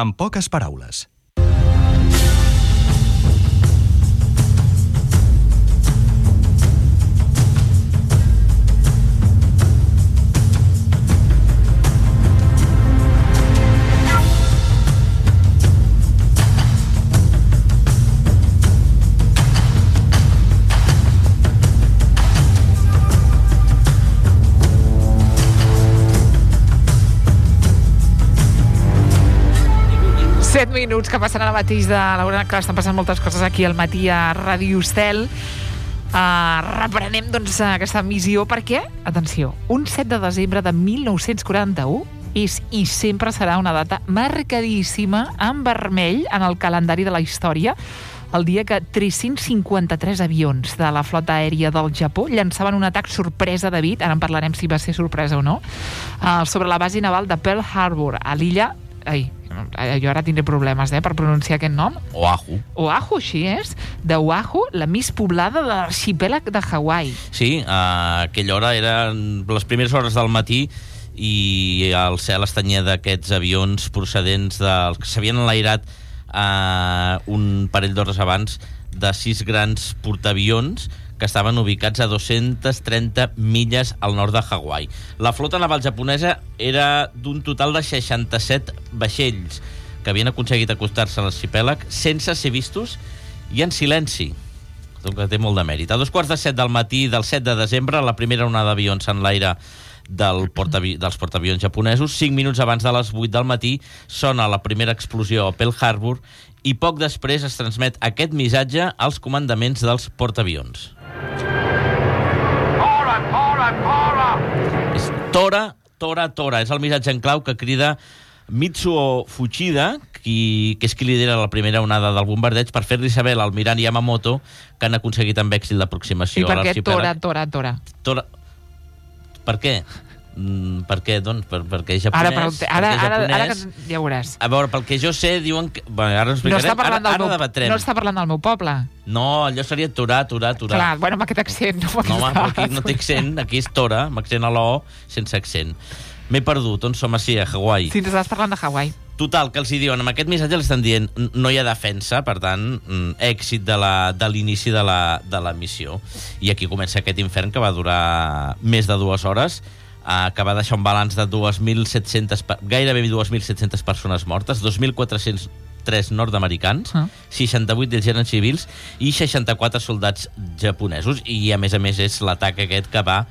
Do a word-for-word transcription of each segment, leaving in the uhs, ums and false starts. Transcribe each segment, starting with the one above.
En poques paraules. set minuts que passen ara mateix de l'hora. Clar, estan passant moltes coses aquí al matí a Ràdio Estel. Uh, reprenem, doncs, aquesta missió perquè, atenció, un set de desembre de mil nou-cents quaranta-u és i sempre serà una data marcadíssima en vermell en el calendari de la història, el dia que tres-cents cinquanta-tres avions de la flota aèria del Japó llançaven un atac sorpresa, David, ara en parlarem si va ser sorpresa o no, uh, sobre la base naval de Pearl Harbor, a l'illa... Ai, jo ara tindré problemes, eh, per pronunciar aquest nom. Oahu. Oahu, així és. De Oahu, la més poblada de l'arxipèlag de Hawaii. Sí, a aquella hora eren les primeres hores del matí i el cel estanyia d'aquests avions procedents dels que s'havien enlairat eh, un parell d'hores abans de sis grans portaavions que estaven ubicats a dos-centes trenta milles al nord de Hawaii. La flota naval japonesa era d'un total de seixanta-set vaixells que havien aconseguit acostar-se a l'arxipèlag sense ser vistos i en silenci. Que té molt de mèrit. A dos quarts de set del matí del set de desembre, la primera onada d'avions s'enlaira del portaavi- dels portaavions japonesos. Cinc minuts abans de les vuit del matí sona la primera explosió a Pearl Harbor i poc després es transmet aquest missatge als comandaments dels portaavions. Tora, tora, tora! És Tora, Tora, Tora. És el missatge en clau que crida Mitsuo Fuchida, qui, que és qui lidera la primera onada del bombardeig, per fer-li saber a l'almirant Yamamoto que han aconseguit amb èxit l'aproximació I a per què Tora, l'arxipèlag. Tora, Tora? Tora... Per què? Mm, per què, doncs? Per, perquè és japonès. Ara, per, ara, perquè és ara, ara japonès. que ja veuràs. A veure, pel que jo sé, diuen que... Bueno, ara ho No explicarem. està parlant, ara, del ara meu, debatrem. no està parlant del meu poble. No, allò seria Torà, Torà, Torà. Clar, bueno, amb aquest accent. No, amb No, home, aquesta- però aquí no té accent. Aquí és Tora, amb accent a l'O, sense accent. M'he perdut, on som així, a Hawaii. Sí, ens estàs parlant de Hawaii. Total, que els hi diuen, amb aquest missatge els estan dient no hi ha defensa, per tant, èxit de la- de l'inici de, la, de la missió. I aquí comença aquest infern que va durar més de dues hores, eh, que va deixar un balanç de dos mil set-centes, gairebé dos mil set-centes persones mortes, dos mil quatre-cents tres nord-americans, Ah. seixanta-vuit d'ells eren civils i seixanta-quatre soldats japonesos. I, a més a més, és l'atac aquest que va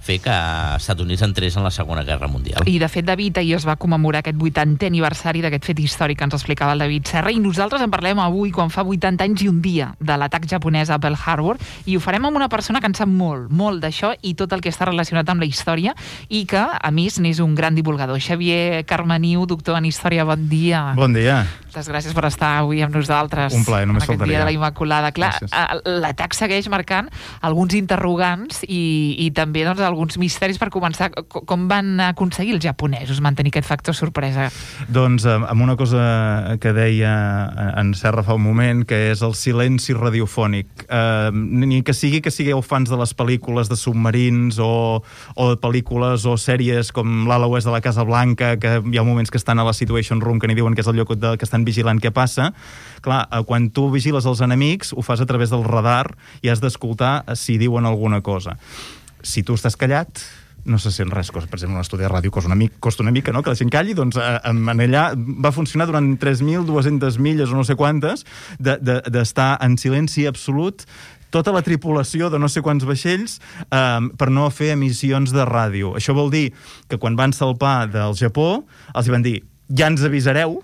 fer que els Estats Units entrés en la Segona Guerra Mundial. I, de fet, David, ahir es va commemorar aquest vuitantè aniversari d'aquest fet històric que ens explicava el David Serra, i nosaltres en parlem avui, quan fa vuitanta anys i un dia de l'atac japonès a Pearl Harbor, i ho farem amb una persona que en sap molt, molt d'això i tot el que està relacionat amb la història, i que, a més, n'és un gran divulgador. Xavier Carmeniu, doctor en Història, bon dia. Bon dia. Moltes gràcies per estar avui amb nosaltres. Un plaer, només en aquest faltaria. dia de la Immaculada. Clar, Gràcies. a- l'atac segueix marcant alguns interrogants i, i també, doncs, alguns misteris. Per començar, co- com van aconseguir els japonesos mantenir aquest factor sorpresa? Doncs eh, amb una cosa que deia en Serra fa un moment, que és el silenci radiofònic. Eh, ni que sigui que sigueu fans de les pel·lícules de submarins o, o de pel·lícules o sèries com l'Ala Oest de la Casa Blanca, que hi ha moments que estan a la Situation Room, que n'hi diuen que és el lloc de, que estan vigilant què passa. Clar, eh, quan tu vigiles els enemics, ho fas a través del radar i has d'escoltar si diuen alguna cosa. Si tu estàs callat, no se sent res. Per exemple, un estudi de ràdio costa una, mica, costa una mica, no?, que la gent calli. Doncs eh, en allà va funcionar durant tres mil dues-centes milles o no sé quantes d'estar de, de, en silenci absolut, tota la tripulació de no sé quants vaixells, eh, per no fer emissions de ràdio. Això vol dir que quan van salpar del Japó, els hi van dir, ja ens avisareu,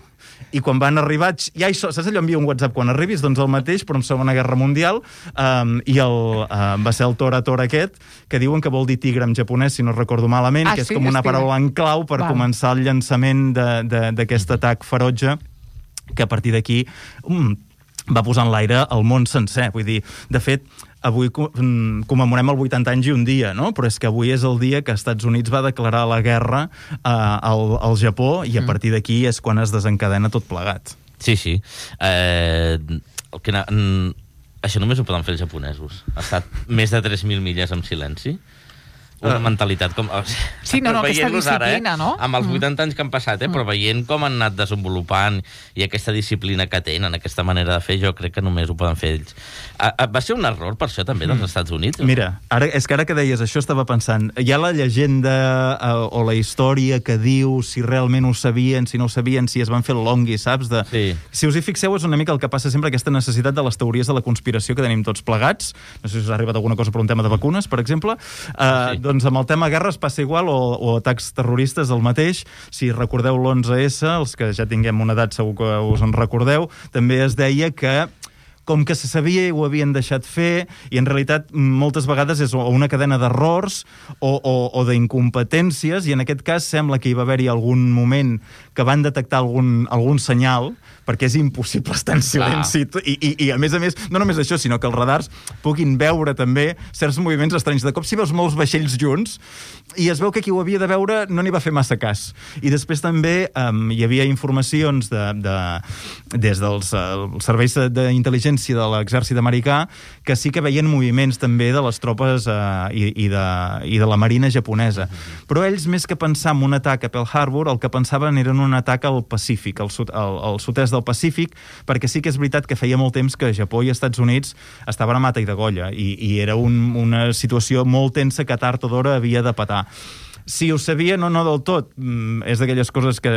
i quan van arribar, ja hi so, saps allò, envia un WhatsApp quan arribis? Doncs el mateix, però en Segona Guerra Mundial, um, i el, uh, va ser el Tora Tora aquest, que diuen que vol dir tigre en japonès, si no recordo malament, Ah, que és sí, com una és tigre. paraula en clau per Val. començar el llançament d'aquest atac ferotge, que a partir d'aquí um, va posar en l'aire el món sencer. Vull dir, de fet, avui commemorem el vuitanta anys i un dia, no? Però és que avui és el dia que els Estats Units va declarar la guerra eh, al, al Japó, i a partir d'aquí és quan es desencadena tot plegat. Sí, sí. Eh, el que, mm, això només ho poden fer els japonesos. Ha estat més de tres mil milles en silenci. una mentalitat com... Sí, no, no, aquesta disciplina, ara, eh? no? Amb els vuitanta anys que han passat, eh? Però veient com han anat desenvolupant i aquesta disciplina que tenen, aquesta manera de fer, jo crec que només ho poden fer ells. Va ser un error, per això, també, dels Estats Units? Mira, ara, és que ara que deies això estava pensant, hi ha la llegenda eh, o la història que diu si realment ho sabien, si no ho sabien, si es van fer el longui, saps? De... Sí. Si us hi fixeu, és una mica el que passa sempre, aquesta necessitat de les teories de la conspiració que tenim tots plegats. No sé si us ha arribat alguna cosa per un tema de vacunes, per exemple. Eh, sí. Doncs amb el tema guerres passa igual, o, o atacs terroristes el mateix. Si recordeu l'onze esse, els que ja tinguem una edat segur que us en recordeu, també es deia que com que se sabia i ho havien deixat fer, i en realitat moltes vegades és una cadena d'errors o, o, o d'incompetències, i en aquest cas sembla que hi va haver-hi algun moment que van detectar algun, algun senyal, perquè és impossible estar en silenci. I, i, I a més a més, no només això, sinó que els radars puguin veure també certs moviments estranys. De cop, si veus molts vaixells junts, i es veu que qui ho havia de veure no n'hi va fer massa cas. I després també um, hi havia informacions de, de, des dels uh, serveis d'intel·ligència de l'exèrcit americà, que sí que veien moviments també de les tropes eh, i, i, de, i de la marina japonesa. Però ells, més que pensar en un atac a Pearl Harbor, el que pensaven era en un atac al Pacífic, al, sud, al, al sud-est del Pacífic, perquè sí que és veritat que feia molt temps que Japó i Estats Units estaven a mata i degolla, i, i era un, una situació molt tensa que tard o d'hora havia de petar. Si ho sabia, no, no del tot. Mm, és d'aquelles coses que,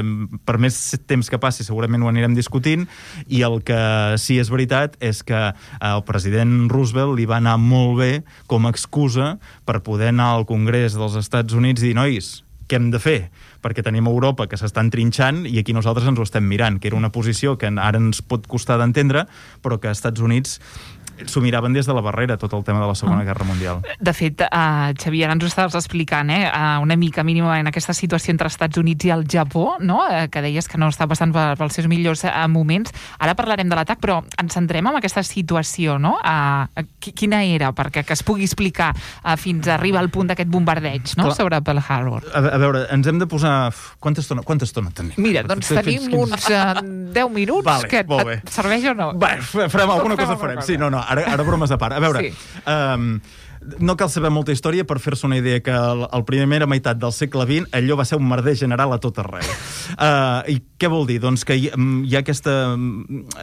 per més temps que passi, segurament ho anirem discutint, i el que sí és veritat és que el president Roosevelt li va anar molt bé com a excusa per poder anar al Congrés dels Estats Units i dir, nois, què hem de fer? Perquè tenim Europa que s'estan trinxant i aquí nosaltres ens ho estem mirant, que era una posició que ara ens pot costar d'entendre, però que als Estats Units s'ho miraven des de la barrera, tot el tema de la Segona Guerra Mundial. De fet, uh, Xavier, ara ens ho estaves explicant, eh? Uh, una mica mínima en aquesta situació entre Estats Units i el Japó, no? Uh, que deies que no està passant per, pels seus millors uh, moments. Ara parlarem de l'atac, però ens centrem en aquesta situació, no? Uh, quina era? Perquè que es pugui explicar uh, fins a arribar al punt d'aquest bombardeig, no? Clar. Sobre Pearl Harbor. A, a veure, ens hem de posar... Quanta estona, quanta estona tenim? Mira, doncs tenim uns uh, deu minuts, vale, que et serveix o no? Va, farem alguna cosa, farem. Sí, no, no, ara, ara bromes a part. A veure, sí. um, no cal saber molta història per fer-se una idea que el, el primera meitat del segle vint allò va ser un merder general a tot arreu. Uh, I què vol dir? Doncs que hi, hi ha aquesta,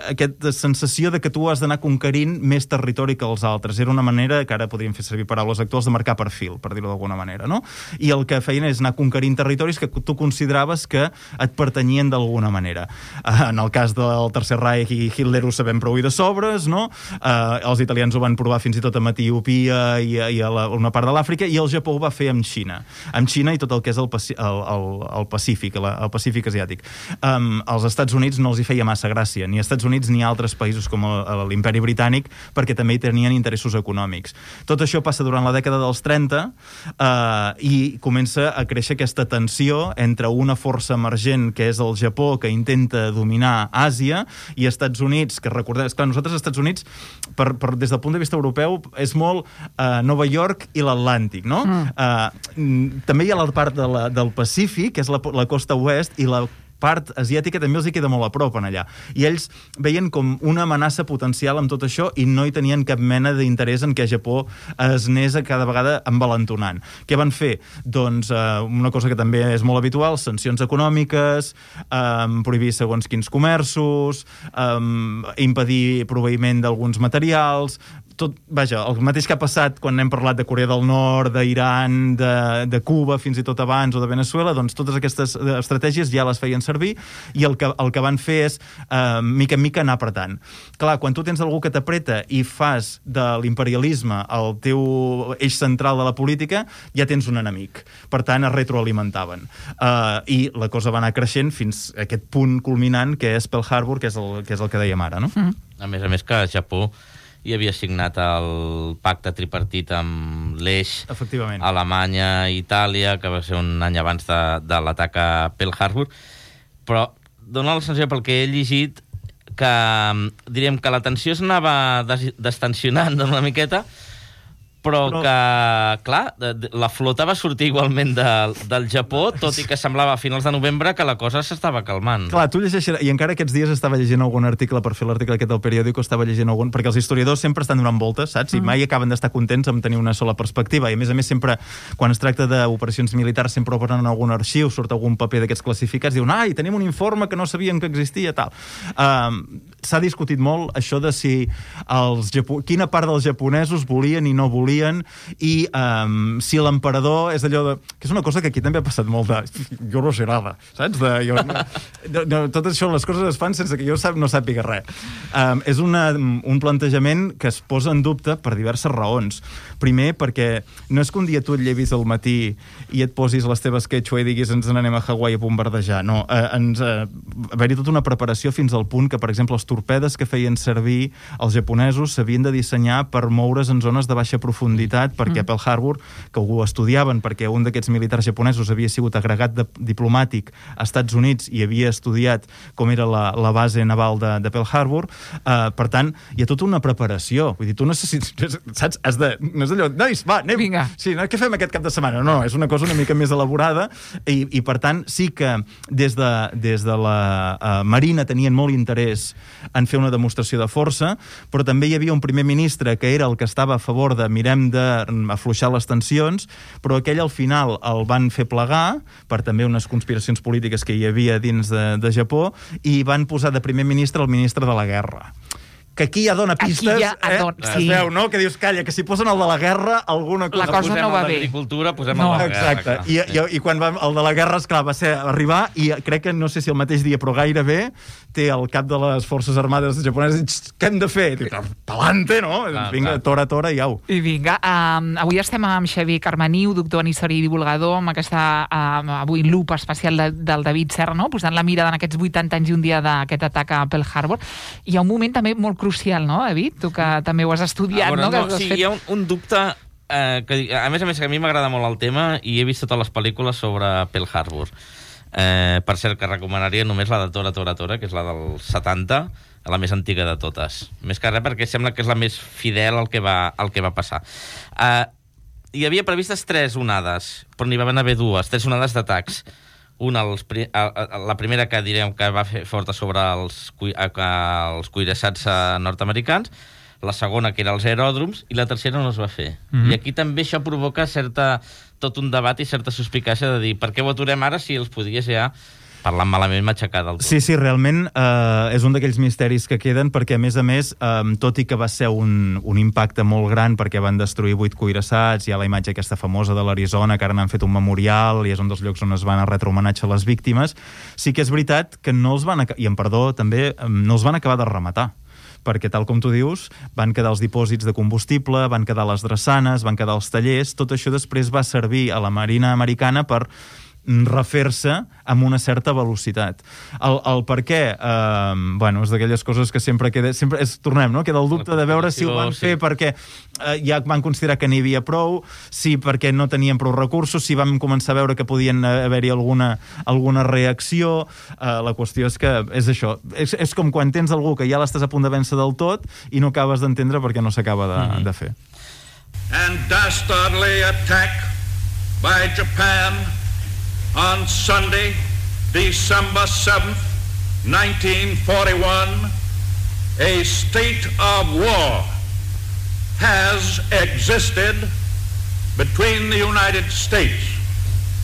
aquesta sensació de que tu has d'anar conquerint més territori que els altres. Era una manera, que ara podríem fer servir paraules actuals, de marcar perfil, per dir-ho d'alguna manera, no? I el que feien és anar conquerint territoris que tu consideraves que et pertanyien d'alguna manera. Uh, en el cas del Tercer Reich i Hitler ho sabem prou i de sobres, no? Uh, els italians ho van provar fins i tot amb Etiòpia i i a la, una part de l'Àfrica, i el Japó ho va fer amb Xina. Amb Xina i tot el que és el, el, el, el Pacífic, el, el Pacífic asiàtic. Um, als Estats Units no els hi feia massa gràcia, ni als Estats Units ni a altres països com l'Imperi Britànic, perquè també hi tenien interessos econòmics. Tot això passa durant la dècada dels trenta uh, i comença a créixer aquesta tensió entre una força emergent, que és el Japó, que intenta dominar Àsia, i Estats Units, que recordem... Esclar, nosaltres, als Estats Units, per, per, des del punt de vista europeu, és molt... Uh, Nova York i l'Atlàntic, no? Mm. Uh, també hi ha la part de la, del Pacífic, que és la, la costa oest, i la part asiàtica també els hi queda molt a prop en allà. I ells veien com una amenaça potencial amb tot això i no hi tenien cap mena d'interès en què Japó es anés cada vegada envalentonant. Què van fer? Doncs eh, una cosa que també és molt habitual, sancions econòmiques, eh, prohibir segons quins comerços, eh, impedir proveïment d'alguns materials, tot, vaja, el mateix que ha passat quan hem parlat de Corea del Nord, d'Iran, de, de Cuba, fins i tot abans, o de Venezuela, doncs totes aquestes estratègies ja les feien servir, i el que, el que van fer és, eh, mica en mica, anar apretant. Clar, quan tu tens algú que t'apreta i fas de l'imperialisme el teu eix central de la política, ja tens un enemic. Per tant, es retroalimentaven. Eh, I la cosa va anar creixent fins a aquest punt culminant, que és Pearl Harbor, que és el que, és el que dèiem ara, no? Mm. A més a més que Japó i havia signat el pacte tripartit amb l'Eix, Alemanya i Itàlia, que va ser un any abans de, de l'atac a Pearl Harbor, però dona la sensació, pel que he llegit, que diríem que la tensió s'anava des destensionant una miqueta, però, però que, clar, la flota va sortir igualment de, del Japó, tot i que semblava a finals de novembre que la cosa s'estava calmant. Clar, tu llegeixes, i encara aquests dies estava llegint algun article, per fer l'article aquest del periòdico, estava llegint algun, perquè els historiadors sempre estan donant voltes, saps? I mai acaben d'estar contents amb tenir una sola perspectiva, i a més a més sempre, quan es tracta d'operacions militars, sempre obren algun arxiu, surt algun paper d'aquests classificats, diuen, ai, tenim un informe que no sabíem que existia, tal. Um, S'ha discutit molt això de si els Japo... quina part dels japonesos volien i no volien, i um, si l'emperador és allò de... que és una cosa que aquí també ha passat molt de... jo no sé nada, saps? De, jo, no, no, tot això, les coses es fan sense que jo sap, no sàpiga res. Um, és una, un plantejament que es posa en dubte per diverses raons. Primer, perquè no és que un dia tu et llevis al matí i et posis les teves quechua i diguis ens n'anem a Hawaii a bombardejar. No, eh, ens, eh, haver-hi tota una preparació fins al punt que, per exemple, els torpedes que feien servir els japonesos s'havien de dissenyar per moure's en zones de baixa profunditat, perquè a Pearl Harbor, que ho estudiaven, perquè un d'aquests militars japonesos havia sigut agregat de, diplomàtic a Estats Units i havia estudiat com era la, la base naval de, de Pearl Harbor, eh, per tant, hi ha tota una preparació. Vull dir, tu necessites, saps? Has de, no és allò, nois, va, anem. Vinga. Sí, no, què fem aquest cap de setmana? No, és una cosa una mica més elaborada i, i per tant, sí que des de, des de la uh, Marina tenien molt interès en fer una demostració de força, però també hi havia un primer ministre que era el que estava a favor de mirem d'afluixar les tensions, però aquell al final el van fer plegar per també unes conspiracions polítiques que hi havia dins de, de Japó, i van posar de primer ministre el ministre de la guerra. Que aquí ja dona pistes, ja adon... eh? sí. Es veu, no? Que dius, calla, que si posen el de la guerra, alguna cosa... La cosa posem no va el bé. L'agricultura, posem No. el de la guerra. Exacte. I, i, I quan va, el de la guerra, esclar, va ser arribar, i crec que, no sé si el mateix dia, però gairebé, té el cap de les forces armades japoneses i dius, què hem de fer? Diu, pelante, no? Clar, Vinga, clar. tora, tora, i au. I vinga, um, avui estem amb Xavier Carmaniu, doctor en història i divulgador, amb aquesta, um, avui, lupa especial de, del David Serra, no? Posant la mirada en aquests vuitanta anys i un dia d'aquest atac a Pearl Harbor. Hi ha un moment també molt crucial, no, David? Tu que també ho has estudiat, veure, no? Que no has sí, fet... hi ha un, un dubte... Eh, que, a més a més, que a mi m'agrada molt el tema i he vist totes les pel·lícules sobre Pearl Harbor. Eh, per cert, que recomanaria només la de Tora, Tora, Tora, que és la del setanta, la més antiga de totes. Més que res perquè sembla que és la més fidel al que va, al que va passar. Eh, hi havia previstes tres onades, però n'hi van haver dues, tres onades d'atacs. Una, els, la primera que direm que va fer forta sobre els, els cuirassats nord-americans, la segona que era els aeròdroms, i la tercera no es va fer. Mm-hmm. I aquí també això provoca certa, tot un debat i certa suspicàcia de dir per què ho aturem ara si els podies ja, parlant malament, matxacar del tot. Sí, sí, realment eh, és un d'aquells misteris que queden, perquè a més a més, eh, tot i que va ser un, un impacte molt gran perquè van destruir vuit cuirassats, hi ha la imatge aquesta famosa de l'Arizona, que ara n'han fet un memorial i és un dels llocs on es van a retre homenatge a les víctimes, sí que és veritat que no els van, i en perdó també, no els van acabar de rematar, perquè tal com tu dius, van quedar els dipòsits de combustible, van quedar les drassanes, van quedar els tallers, tot això després va servir a la Marina americana per refer-se amb una certa velocitat. El, el per què, eh, bueno, és d'aquelles coses que sempre queda, sempre és, tornem, no? Queda el dubte de veure si ho van fer sí. perquè eh, ja van considerar que n'hi havia prou, si perquè no tenien prou recursos, si vam començar a veure que podien haver-hi alguna, alguna reacció. Eh, la qüestió és que és això, és, és com quan tens algú que ja l'estàs a punt de vèncer del tot i no acabes d'entendre perquè no s'acaba de, mm-hmm. de fer. And dastardly attack by Japan on Sunday, December seventh, nineteen forty-one, a state of war has existed between the United States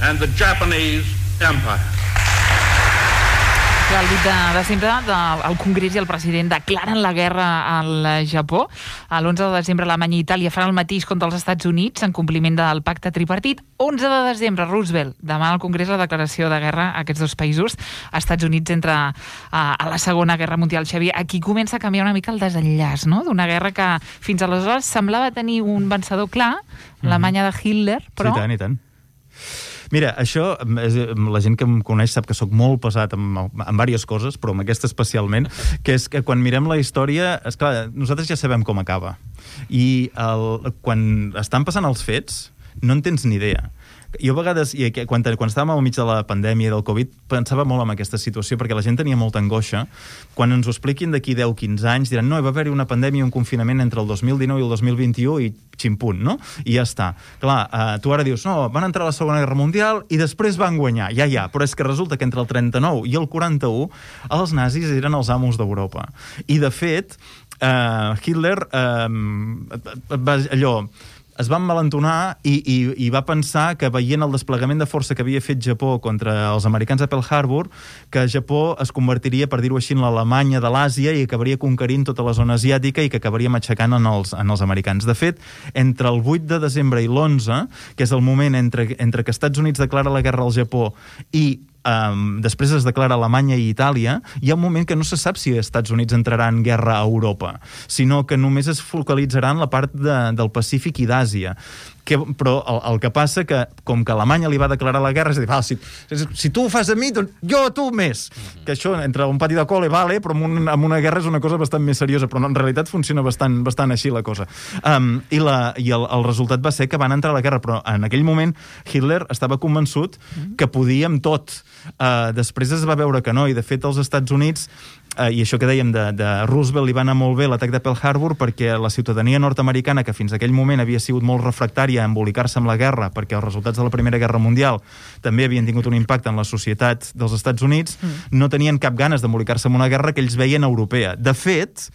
and the Japanese Empire. El vuit de desembre el Congrés i el president declaren la guerra al Japó. L'onze de desembre Alemanya i Itàlia faran el mateix contra els Estats Units en compliment del pacte tripartit. onze de desembre Roosevelt demana al Congrés la declaració de guerra a aquests dos països. Estats Units entra a, a la Segona Guerra Mundial. Xavier, aquí comença a canviar una mica el desenllaç, no? D'una guerra que fins aleshores semblava tenir un vencedor clar, l'Alemanya de Hitler, però... Sí, tant, i tant. Mira, això, és, la gent que em coneix sap que sóc molt pesat amb, amb diverses coses, però amb aquesta especialment, que és que quan mirem la història, esclar, nosaltres ja sabem com acaba. I el, quan estan passant els fets, no en tens ni idea. Jo a vegades, i quan, quan estàvem al mig de la pandèmia del Covid, pensava molt en aquesta situació, perquè la gent tenia molta angoixa. Quan ens ho expliquin d'aquí deu a quinze anys, diran, no, va haver-hi una pandèmia i un confinament entre el dos mil dinou i el dos mil vint-i-u i ximpunt, no? I ja està. Clar, eh, tu ara dius, no, van entrar a la Segona Guerra Mundial i després van guanyar. Ja, ja, però és que resulta que entre el trenta-nou i el quaranta-u els nazis eren els amos d'Europa. I, de fet, eh, Hitler eh, va, allò... es va envalentonar i, i, i va pensar que, veient el desplegament de força que havia fet Japó contra els americans a Pearl Harbor, que Japó es convertiria, per dir-ho així, en l'Alemanya de l'Àsia i acabaria conquerint tota la zona asiàtica i que acabaria matxacant en els, en els americans. De fet, entre el vuit de desembre i l'onze, que és el moment entre, entre que Estats Units declara la guerra al Japó i Um, després es declara Alemanya i Itàlia, hi ha un moment que no se sap si els Estats Units entrarà en guerra a Europa, sinó que només es focalitzarà en la part de, del Pacífic i d'Àsia. Que, però el, el que passa que, com que Alemanya li va declarar la guerra, és a dir, val, si, si tu ho fas a mi, doncs jo a tu més. Mm-hmm. Que això, entre un pati de col·le, vale, però amb, un, amb una guerra és una cosa bastant més seriosa, però en realitat funciona bastant, bastant així la cosa. Um, I, la, i el, el resultat va ser que van entrar a la guerra, però en aquell moment Hitler estava convençut mm-hmm. que podia amb tot. Uh, després es va veure que no, i de fet els Estats Units, uh, i això que dèiem de, de Roosevelt, li va anar molt bé l'atac de Pearl Harbor perquè la ciutadania nord-americana, que fins aquell moment havia sigut molt refractària a embolicar-se amb la guerra, perquè els resultats de la Primera Guerra Mundial també havien tingut un impacte en la societat dels Estats Units, mm. no tenien cap ganes d'embolicar-se amb una guerra que ells veien europea. De fet,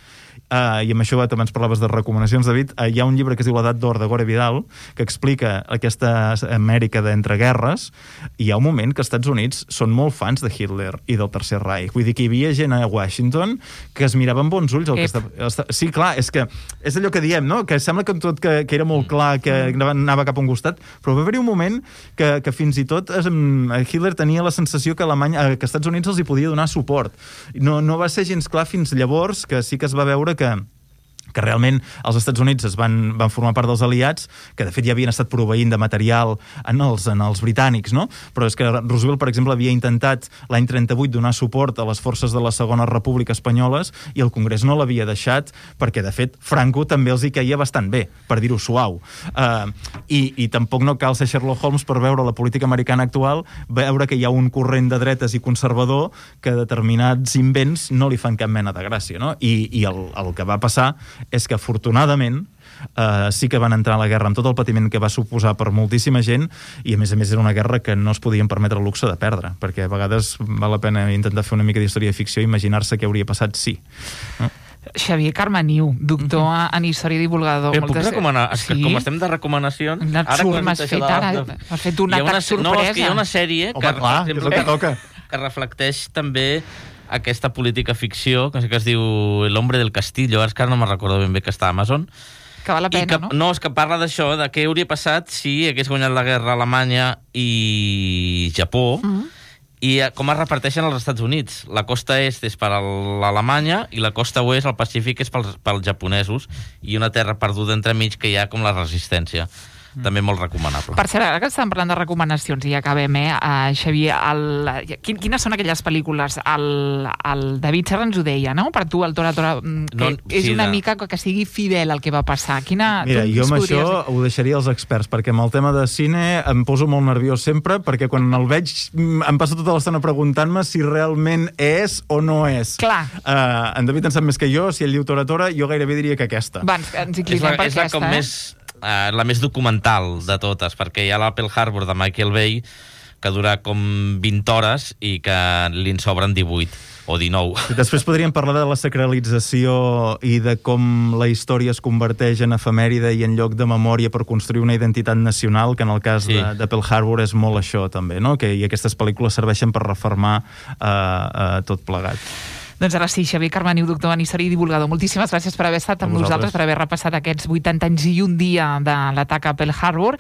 Uh, i amb això també ens parlaves de recomanacions, David, uh, hi ha un llibre que es diu L'edat d'or de Gore Vidal que explica aquesta Amèrica d'entreguerres, i hi ha un moment que els Estats Units són molt fans de Hitler i del Tercer Reich. Vull dir que hi havia gent a Washington que es mirava amb bons ulls el que estava... Sí, clar, és que és allò que diem, no? Que sembla que tot que, que era molt clar, que anava cap a un costat, però va haver-hi un moment que, que fins i tot es, Hitler tenia la sensació que Alemanya, que Estats Units els hi podia donar suport. No, no va ser gens clar fins llavors, que sí que es va veure que que realment els Estats Units es van, van formar part dels aliats, que de fet ja havien estat proveint de material en els, en els britànics, no? Però és que Roosevelt, per exemple, havia intentat l'any trenta-vuit donar suport a les forces de la Segona República Espanyoles i el Congrés no l'havia deixat perquè, de fet, Franco també els hi caia bastant bé, per dir-ho suau. Uh, i, I tampoc no cal ser Sherlock Holmes per veure la política americana actual, veure que hi ha un corrent de dretes i conservador que determinats invents no li fan cap mena de gràcia, no? I, i el, el que va passar és que, afortunadament, uh, sí que van entrar a la guerra amb tot el patiment que va suposar per moltíssima gent, i a més a més era una guerra que no es podien permetre el luxe de perdre, perquè a vegades val la pena intentar fer una mica d'història de ficció i imaginar-se què hauria passat sí. No? Xavier Carmeniu, doctor mm-hmm. en història i divulgador. Però puc recomanar? És que sí? Com estem de recomanacions... Ara m'has fet, ara, has fet un atac sorpresa. No, és que hi ha una sèrie Home, que, clar, exemple, que, toca. que reflecteix també aquesta política ficció, que, que es diu El hombre del castillo, ara és que no me'n recordo ben bé, que està a Amazon. Que val la pena, que, no? No, és que parla d'això, de què hauria passat si hagués guanyat la guerra Alemanya i Japó, mm-hmm. i com es reparteixen als Estats Units. La costa est és per a l'Alemanya i la costa oest, el Pacífic, és pels, pels japonesos, i una terra perduda entremig que hi ha com la resistència. També molt recomanable. Per cert, ara que estàvem parlant de recomanacions i ja acabem, eh, uh, Xavier, el, quin, quines són aquelles pel·lícules? El, el David Serra ens ho deia, no? Per tu, el Tora Tora, que no, és sí, una de... mica que sigui fidel al que va passar. Quina, Mira, jo amb podries... això ho deixaria als experts, perquè amb el tema de cine em poso molt nerviós sempre, perquè quan el veig em passo tota l'estona preguntant-me si realment és o no és. Clar. Uh, en David en sap més que jo, si ell diu Tora Tora, jo gairebé diria que aquesta. Va, ens, ens inclinem per és aquesta, com eh? Més... Uh, la més documental de totes, perquè hi ha la Pearl Harbor de Michael Bay, que dura com vint hores i que li'n sobren divuit o dinou. Després podríem parlar de la sacralització i de com la història es converteix en efemèride i en lloc de memòria per construir una identitat nacional, que en el cas sí. de, de Pearl Harbor és molt això també, no? Que, i aquestes pel·lícules serveixen per refermar uh, uh, tot plegat. Doncs ara sí, Xavier Carmeniu, doctor en història i divulgador. Moltíssimes gràcies per haver estat amb nosaltres, per haver repassat aquests vuitanta anys i un dia de l'atac a Pearl Harbor.